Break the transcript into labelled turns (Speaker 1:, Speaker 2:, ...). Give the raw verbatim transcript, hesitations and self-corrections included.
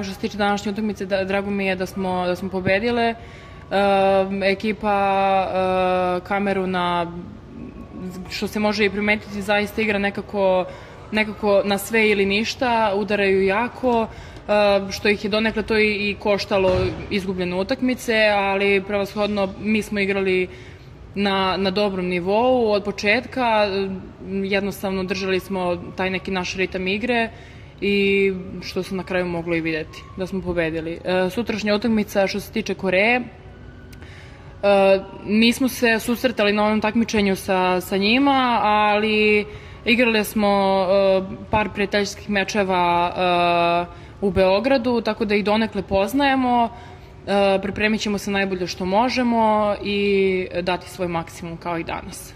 Speaker 1: Što se tiče današnje utakmice, drago mi je da smo, da smo pobedile. Ekipa Kameruna, što se može i primetiti, zaista igra nekako, nekako na sve ili ništa, udaraju jako, što ih je donekle to i koštalo izgubljene utakmice, ali prevashodno mi smo igrali na, na dobrom nivou od početka, jednostavno držali smo taj neki naš ritam igre i što se na kraju moglo i videti, da smo pobedili. Sutrašnja utakmica što se tiče Koreje, nismo se susretali na ovom takmičenju sa, sa njima, ali igrali smo par prijateljskih mečeva u Beogradu, tako da ih donekle poznajemo. Pripremit ćemo se najbolje što možemo i dati svoj maksimum kao i danas.